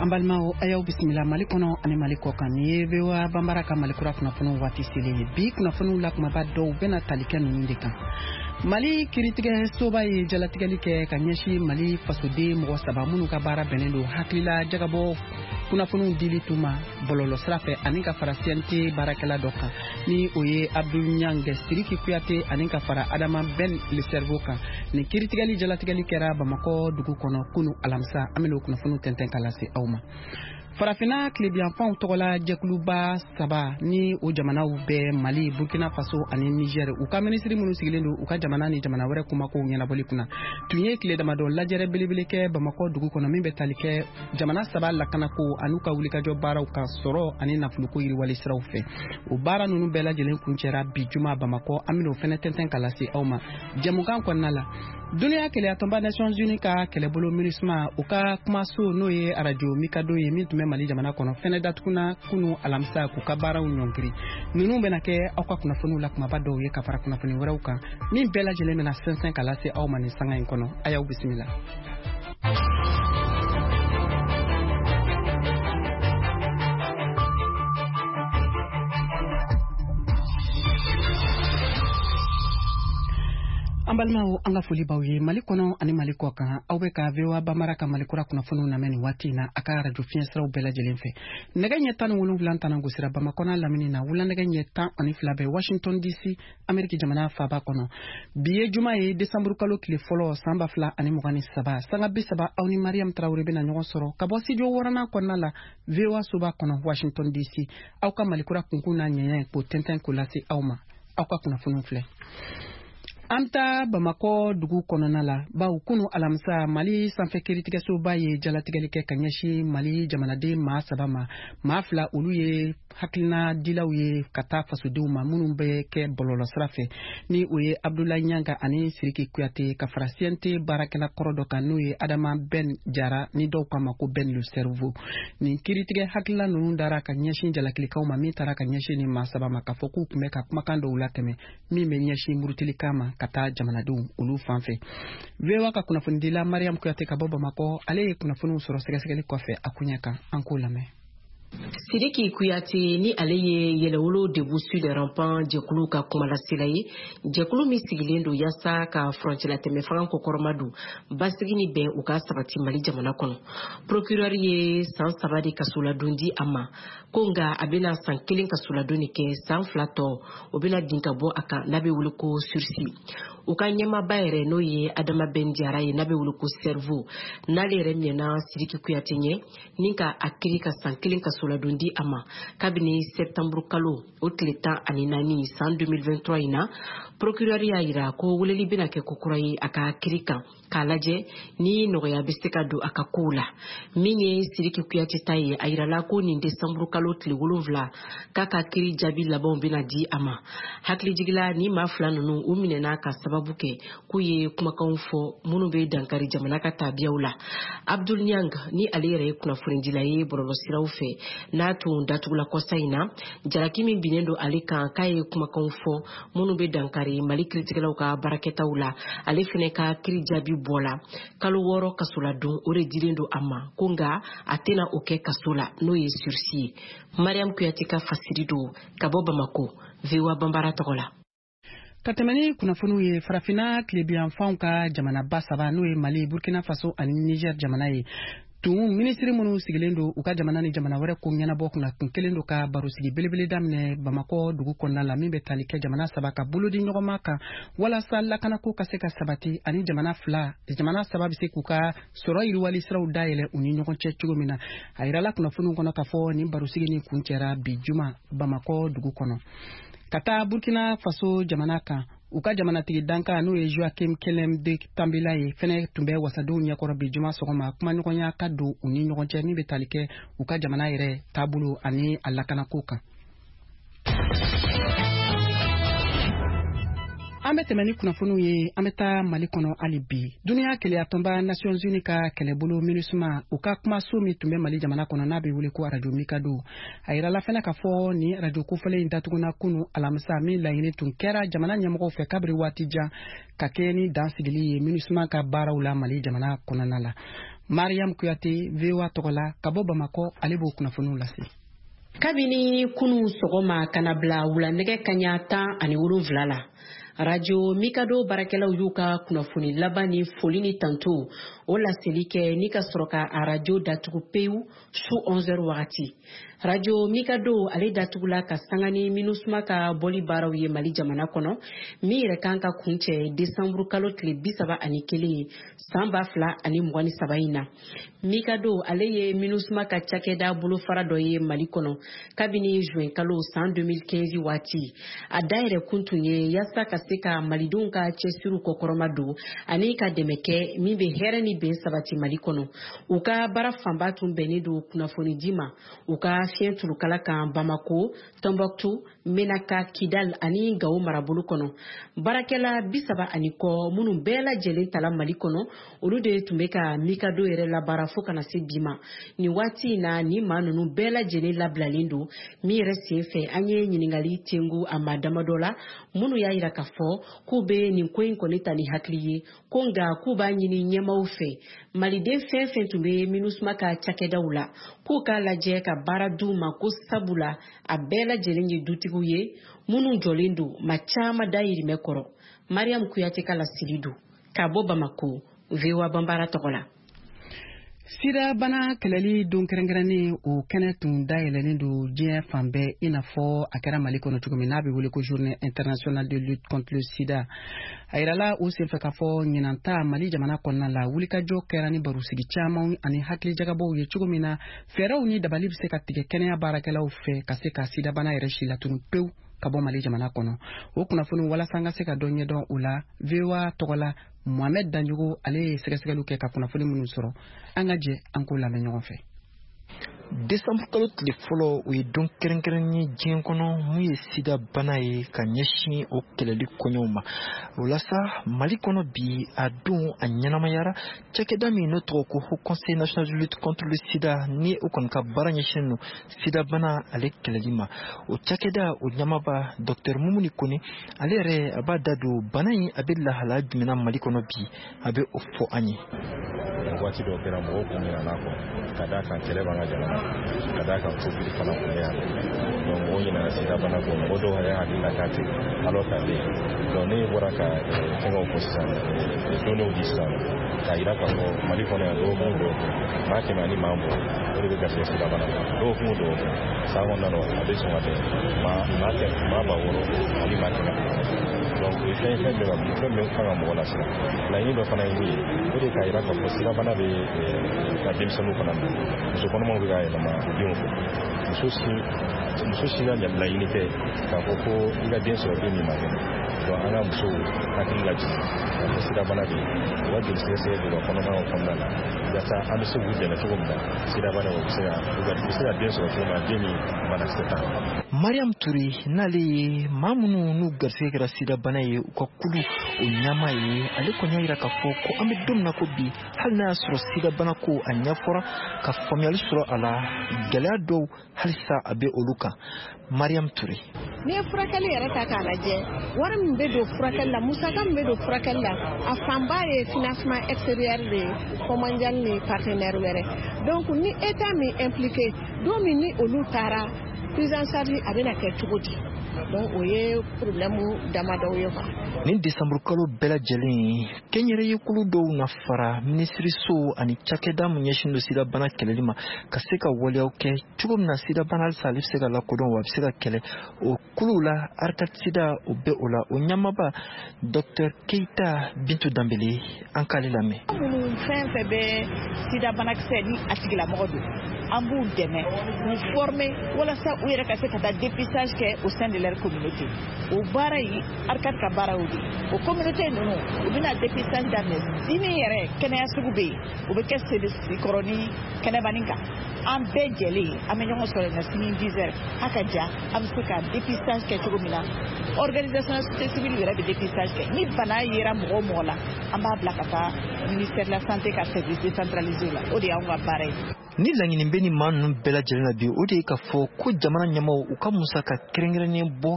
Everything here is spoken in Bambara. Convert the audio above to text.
An balimaw, a y'aw bisimila Mali kɔnɔ ani Mali kɔ kan. Nin ye VOA Banbara ka Mali kura kunnafoniw waati selen ye. Bi kunnafoniw la kumaba dɔw bɛna tali kɛ ninnu de kan. Mali kiiritigɛsoba ye jalatigɛli kɛ ka ɲɛsin Mali fasoden mɔgɔ saba minnu ka baara bɛnnen don hakilila jagabɔ kunnafoniw dili tun ma bɔlɔlɔsira fɛ, ani ka fara CNT baarakɛla dɔ kan, ni o ye Abdul Ɲang, Siriki Kuyate, ani ka fara Adama Ben Le Cerveau kan. Nin kiiritigɛli jalatigɛli kɛra Bamakɔ dugu kɔnɔ kunu alamisa. An bɛna o kunnafoniw tɛntɛn ka lase aw ma. Farafinna tilebiyanfanw tɔgɔla jɛkuluba saba, ni o jamanaw bɛɛ Mali, Burkina Faso ani Niger, u ka minisiri minnu sigilen don u ka jamana ni jamana wɛrɛ kumakow ɲɛnabɔli kunna, tun ye tile damadɔ lajɛrɛ belebele kɛ Bamakɔ dugu kɔnɔ, min bɛ tali kɛ jamana saba lakanako an'u ka wulikajɔ baaraw kan sɔrɔ ani nafoloko yiriwali siraw fɛ. O baara ninnu bɛɛ lajɛlen kuncɛra bi juma Bamakɔ. An bɛn'o fɛnɛ tɛntɛn ka lase aw ma jɛmukan kɔnɔna la. Duniya kelenyatɔnba Nations Unies ka kɛlɛbolo MINUSMA, u ka kumaso, n'o ye arajo Mikado ye, min tun bɛ Mali jamana kɔnɔ, fɛnɛ datuguna kunu alamisa k'u ka baaraw ɲɔngiri. Ninnu bɛna kɛ aw ka kunnafoniw la kumaba dɔw ye, ka fara kunnafoni wɛrɛw kan min bɛɛ lajɛlen bɛna sɛnsɛn ka lase aw ma nin sanga in kɔnɔ. A y'aw bisimila. An balimaw, an ka foli b'aw ye Mali kɔnɔ ani Mali kɔ kan. Aw bɛ ka VOA Bamara ka Mali kura kunnafoniw lamɛn nin waati in na a ka arajo fiɲɛsiraw bɛɛ lajɛlen fɛ. Nɛgɛ ɲɛ 17 tana gosira Bamakɔ n'a lamini na, wula nɛgɛ ɲɛ 12 bɛ Washington DC, Ameriki jamana faaba kɔnɔ. Bi ye juma ye, desanburu kalo tile fɔlɔ, san 2023. Sanga 30, aw ni Mariam Tarawele bɛna ɲɔgɔn sɔrɔ ka bɔ studio wɔɔrɔnan kɔnɔna la, VOA soba kɔnɔ, Washington DC, aw ka Mali kura kunkun n'a ɲɛɲɛ k'o tɛntɛn k'o lase aw ma. Aw ka kunnafoniw filɛ. An ta Bamakɔ dugu kɔnɔna la, bawo kunu alamisa, Mali sanfɛ kiiritigɛsoba ye jalatigɛli kɛ ka ɲɛsin Mali jamanaden maa saba ma. Maa fila, olu ye hakilina dilaw ye ka taa fasodenw ma minnu bɛ kɛ bɔlɔlɔsira fɛ, ni o ye Abdulayi Ɲanga ani Siriki Kuyate, ka fara CNT baarakɛla kɔrɔ dɔ kan, n'o ye Adama Ben Jara, ni dɔw k'a ma ko Ben Le Cerveau. Nin kiiritigɛ hakilina ninnu dara ka ɲɛsin jalakilikaw ma min taara ka ɲɛsin nin maa saba ma, k'a fɔ k'u tun bɛ ka kumakan dɔw latɛmɛ min bɛ ɲɛsin murutilikan ma ka taa jamanadenw olu fan fɛ. VOA ka kunnafonidila Mariam Kuyate ka bɔ Bamakɔ, ale ye kunnafoniw sɔrɔ sɛgɛsɛgɛli kɔfɛ a koɲɛ kan. An k'o lamɛn. Sidiki Kuyate, ni ale ye Yɛrɛwolo Debout sur les Remparts jɛkulu ka kumalasela ye, jɛkulu min sigilen don yaasa ka furancɛlatɛmɛ fanga kɔkɔrɔma don, basigi ni bɛn u ka sabati Mali jamana kɔnɔ, procureur ye san 3 de kasoladon di a ma, ko nka a bɛna san 1 kasoladon de kɛ, san 2 tɔ o bɛna bin ka bɔ a kan, n'a bɛ wele ko sursis. U ka ɲɛmaaba yɛrɛ, n'o ye Adama Ben Jara ye, n'a bɛ wele ko Cerveau, n'ale yɛrɛ minɛna Sidiki Kuyate ɲɛ ni ka a kiri ka san 1 kasoladon di a ma kabini septembre kalo o tile 14 san 2023 in na, procureur y'a yira ko weleli bɛna kɛ kokura ye a ka kiri kan k'a lajɛ ni nɔgɔya bɛ se ka don a ka kow la. Min ye Sidiki Kuyate ta ye, a yirala ko nin desanburu kalo tile 7 k'a ka kiri jaabi labanw bɛna di a ma. Hakilijigila, ni maa fila ninnu u minɛna ka sababu kɛ k'u ye kumakanw fɔ minnu bɛ dankari jamana ka tabiyaw la. Abdul Niang, ni ale yɛrɛ ye kunnafonidila ye bɔlɔlɔsiraw fɛ, n'a tun datugula kɔsa in na, jalaki min binnen don ale kan k'a ye kumakanw fɔ minnu bɛ dankari Mali kiiritigɛlaw ka baarakɛtaw la, ale fɛnɛ ka kiri jaabi bɔla, kalo 6 kasoladon o de dilen don a ma, ko nka a tɛna o kɛ kaso la, n'o ye sursis ye. Mariam Kuyate ka fasiri don ka bɔ Bamako, VOA Banbara tɔgɔ la. Ka tɛmɛ ni kunnafoniw ye, Farafinna tilebiyanfanw ka jamanaba saba, n'o ye Mali, Burkina Faso ani Niger jamana ye, tun minisiri minnu sigilen don u ka jamana ni jamana wɛrɛ ko ɲɛnabɔ kunna, tun kelen don ka barosigi belebele daminɛ Bamakɔ dugu kɔnɔna la, min bɛ tali kɛ jamana saba ka bolodi ɲɔgɔnma kan walasa lakanako ka se ka sabati ani jamana fila, jamana saba bɛ se k'u ka sɔrɔ yiriwali siraw dayɛlɛ u ni ɲɔgɔn cɛ cogo min na. A yirala kunnafoniw kɔnɔ k'a fɔ nin barosigi nin kuncɛra bi juma Bamakɔ dugu kɔnɔ. Ka taa Burkina Faso jamana kan, u ka jamanatigi dankan, n'o ye Joachim Kelem de Tambela ye, fɛnɛ tun bɛ wasadenw ɲɛkɔrɔ bi juma sɔgɔma, kumaɲɔgɔnya ka don u ni ɲɔgɔn cɛ min bɛ tali kɛ u ka jamana yɛrɛ taabolo ani a lakanako kan. An bɛ tɛmɛ ni kunnafoniw ye. An bɛ taa Mali kɔnɔ hali bi. Duniya kelenyatɔnba Nations Unies ka kɛlɛbolo MINUSMA, u ka kumaso min tun bɛ Mali jamana kɔnɔ, n'a bɛ wele ko arajo Mikado, a yirala fɛnɛ k'a fɔ nin arajo kofɔlen in datuguna kunu alamisa, min laɲini tun kɛra jamana ɲɛmɔgɔw fɛ kabiri waati jan ka kɛɲɛ ni dan sigili ye MINUSMA ka baaraw la Mali jamana kɔnɔna la. Mariam Kuyate, VOA tɔgɔ la, ka bɔ Bamakɔ, ale b'o kunnafoniw lase. Kabini kunu sɔgɔma ka na bila wulanɛgɛ kaɲa 17 la, Radio Mikado baarakɛlaw y'u ka kunnafoni laban ni foli ni tanto o laseli kɛ ni ka sɔrɔ ka a radio datugu pewu su 11h wagati. Radio Mikado ale datugula ka sanga ni MINUSMA ka bɔli baaraw ye Mali jamana kɔnɔ, min yɛrɛ kan ka kuncɛ desanburu kalo tile 31 san 2023 in na. Mikado ale ye MINUSMA ka cakɛda bolofara dɔ ye Mali kɔnɔ kabini juin kalo san 2015 waati. A dayɛlɛ kun tun ye yaasa ka se ka malidenw ka cɛsiriw kɔkɔrɔma don ani ka dɛmɛ kɛ min bɛ hɛrɛ ni bɛn sabati Mali kɔnɔ. U ka baara fanba tun bɛnnen don kunnafonidi ma u ka fiɲɛ turukala kan Bamako, Tombouctou, Menaka, Kidal ani Gao marabolo kɔnɔ. Baarakɛla 30 ni kɔ minnu bɛɛ lajɛlen tala Mali kɔnɔ, olu de tun bɛ ka Mikado yɛrɛ labaara fo kana se bi ma. Nin waati in na, ni maa ninnu bɛɛ lajɛlen labilalen don. Min yɛrɛ sen fɛ, an ye ɲininkali tengu a maa damadɔ la minnu y'a yira k'a fɔ k'u bɛ nin ko in kɔni ta ni hakili ye, ko nka k'u b'a ɲini ɲɛmaaw fɛ, maliden fɛn fɛn tun bɛ MINUSMA ka cakɛdaw la, k'u k'a lajɛ ka baara d'u ma, ko sabula a bɛɛ lajɛlen ye dutigiw ye minnu jɔlen don ma caman dayirimɛ kɔrɔ. Mariam Kuyate ka laseli don ka bɔ Bamako, VOA Banbara tɔgɔ la. Sida bana kɛlɛli don kɛrɛnkɛrɛnnen, o kɛnɛ tun dayɛlɛlen don diɲɛ fan bɛɛ, i n'a fɔ a kɛra Mali kɔnɔ cogo min n'a bɛ wele ko Journée internationale de lutte contre le sida. A yirala o senfɛ k'a fɔ ɲinan ta, Mali jamana kɔnɔna la, wulikajɔ kɛra ni barosigi caman ani hakilijagabɔw ye cogo min na fɛɛrɛw ni dabali bɛ se ka tigɛ kɛnɛya baarakɛlaw fɛ ka se ka sidabana yɛrɛ si latunu pewu ka bɔ Mali jamana kɔnɔ. O kunnafoni, walasa an ka se ka dɔ ɲɛdɔn o la, VOA tɔgɔ la, Mohamed Danjogo ale ye sɛgɛsɛgɛliw kɛ ka kunnafoni minnu sɔrɔ, an ka jɛ an k'o lamɛn ɲɔgɔn fɛ. Desanburu kalo tile fɔlɔ, o ye don kɛrɛnkɛrɛn ye diɲɛ kɔnɔ mun ye sida bana ye, ka ɲɛsin o kɛlɛli kɔɲɔw ma. O la sa, Mali kɔnɔ bi, a don a ɲɛnamayara. Cakɛda min n'o tɔgɔ ko Haut Conseil national de lutte contre le sida, ni o kɔni ka baara ɲɛsinnen don sida bana ale kɛlɛli ma, o cakɛda o ɲɛmaaba, Dr Mumuni Kone, ale yɛrɛ a b'a da don bana in a bɛ lahalaya jumɛn na Mali kɔnɔ bi, a bɛ o fɔ an ye. Waati dɔw kɛra, mɔgɔw kun ɲinɛna kɔ, ka d'a kan kɛlɛ b'an ka jamana, ka d'a kan Covid fana kun bɛ yan. Donc mɔgɔw ɲinɛna sida bana kɔ, mɔgɔ dɔw yɛrɛ hakili la k'a tɛ, alors k'a bɛ yen. Donc ne bɔra ka fɛngɛw fɔ sisan, données di sisan k'a yira k'a fɔ Mali kɔnɔ yan, dɔgɔkun o dɔgɔkun, maa 120, o de bɛ garisɛgɛ sida bana la dɔgɔkun o dɔgɔkun. San kɔnɔna na, a bɛ sɔn ka bɛn maa 6.000 ani maa 500. Donc o ye fɛn ye, fɛn bɛ ka fɛn bɛ kan ka mɔgɔ lasiran. Laɲini dɔ fana ye min ye, o de ye k'a yira k'a fɔ sidabana bɛ ka denmisɛnninw fana minɛ, muso kɔnɔmaw bɛ ka yɛlɛma u denw fɛ. Muso si ka laɲini tɛ k'a fɔ ko i ka den sɔrɔ, den min ma kɛnɛ. Donc an ka musow hakili lajigin k'a fɔ sidabana bɛ yen, u ka joli sɛgɛsɛgɛ k'u ka kɔnɔmayaw kɔnɔna la, yaasa an bɛ se k'u dɛmɛ cogo min na sidabana u bɛ se ka u bɛ se ka den sɔrɔ cogo min na, den min banakisɛ t'a la. Mariam Ture, n'ale ye maa minnu n'u garisɛgɛ kɛra sidabana ye, u ka kulu o ɲɛmaa ye, ale kɔni y'a yira k'a fɔ ko an bɛ don min na ko bi, hali n'a y'a sɔrɔ sidabana ko a ɲɛfɔra ka faamuyali sɔrɔ a la, gɛlɛya dɔw halisa a bɛ olu kan. Mariam Ture. N'i ye furakɛli yɛrɛ ta k'a lajɛ, wari min bɛ don furakɛli la, musaka min bɛ don furakɛli la, a fanba ye financement extérieur de ye, Fonds mondial ni partenaire wɛrɛ. Donc ni État min impliqué don min, ni olu taara, prise en charge a bɛna kɛ cogo di? Donc o ye problème damadɔw ye quoi. Nin desanburu kalo bɛɛ lajɛlen, kɛnyɛrɛye kulu dɔw na fara minisiriso ani cakɛda min ɲɛsin don sidabana kɛlɛli ma, ka se ka waleyaw kɛ cogo min na sidabana halisa ale bɛ se ka lakodɔn wa a bɛ se ka kɛlɛ. O kuluw la, ARCAD sida o bɛ o la, o ɲɛmaaba, Dr Keita Bintu Danbele, an k'ale lamɛn. Minnu fɛn fɛn bɛ sida banakisɛ ni a tigilamɔgɔ don, an b'u dɛmɛ k'u former walasa u yɛrɛ ka se ka taa dépistage kɛ au sein de leur communauté. O baara in, ARCAD ka baara y'o de ye. O communauté ninnu, u bɛna dépistage daminɛ sini yɛrɛ. Kɛnɛya sugu bɛ yen, o bɛ kɛ Sebenikɔrɔ ni Kɛnɛbanin kan. An bɛɛ jɛlen an bɛ ɲɔgɔn sɔrɔ yen nɔ sini 10 heures. A ka ja an bɛ se ka dépistage kɛ cogo min na, organisation société civile yɛrɛ bɛ dépistage kɛ. Ni bana yera mɔgɔ o mɔgɔ la, an b'a bila ka taa ministère de la Santé ka service décentralisé la. O de y'anw ka baara ye. Ni laɲini bɛ ni maa ninnu bɛɛ lajɛlen na bi, o de ye k'a fɔ ko jamana ɲɛmaw u ka musaka kɛrɛnkɛrɛnnen bɔ.